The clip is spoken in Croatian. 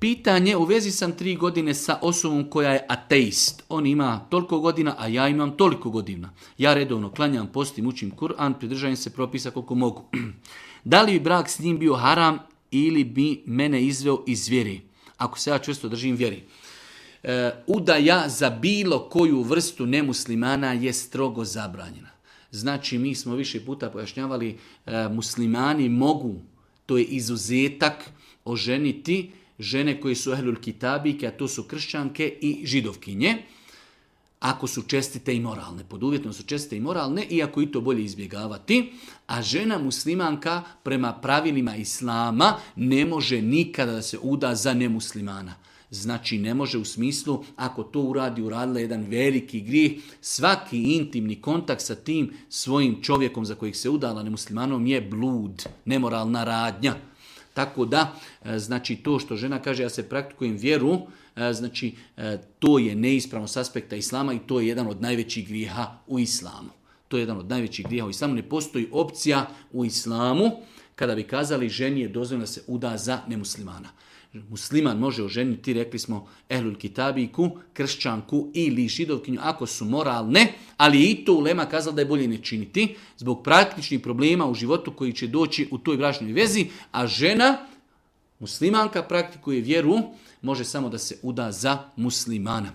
Pitanje, u vezi sam 3 godine sa osobom koja je ateist. On ima toliko godina, a ja imam toliko godina. Ja redovno klanjam, postim, učim Kur'an, pridržavam se propisa koliko mogu. Da li bi brak s njim bio haram ili bi mene izveo iz vjeri? Ako se ja čvrsto držim vjeri. Udaja za bilo koju vrstu nemuslimana je strogo zabranjena. Znači, mi smo više puta pojašnjavali, muslimani mogu, to je izuzetak, oženiti žene koje su ehlul kitabike, a to su kršćanke i židovkinje, ako su čestite i moralne. Pod uvjetom su čestite i moralne, iako i to bolje izbjegavati. A žena muslimanka prema pravilima islama ne može nikada da se uda za nemuslimana. Znači ne može u smislu, ako to uradila jedan veliki grijeh, svaki intimni kontakt sa tim svojim čovjekom za kojih se udala nemuslimanom je blud, nemoralna radnja. Tako da, znači to što žena kaže, ja se praktikujem vjeru, znači to je neispravno s aspekta islama i to je jedan od najvećih grijeha u islamu. To je jedan od najvećih grijeha u islamu. Ne postoji opcija u islamu kada bi kazali ženi je dozvoljeno da se uda za nemuslimana. Musliman može oženiti, rekli smo, ehlul kitabiku, kršćanku ili židovkinju, ako su moralne, ali i to ulema kazala da je bolje ne činiti, zbog praktičnih problema u životu koji će doći u toj bračnoj vezi, a žena, muslimanka, praktikuje vjeru, može samo da se uda za muslimana.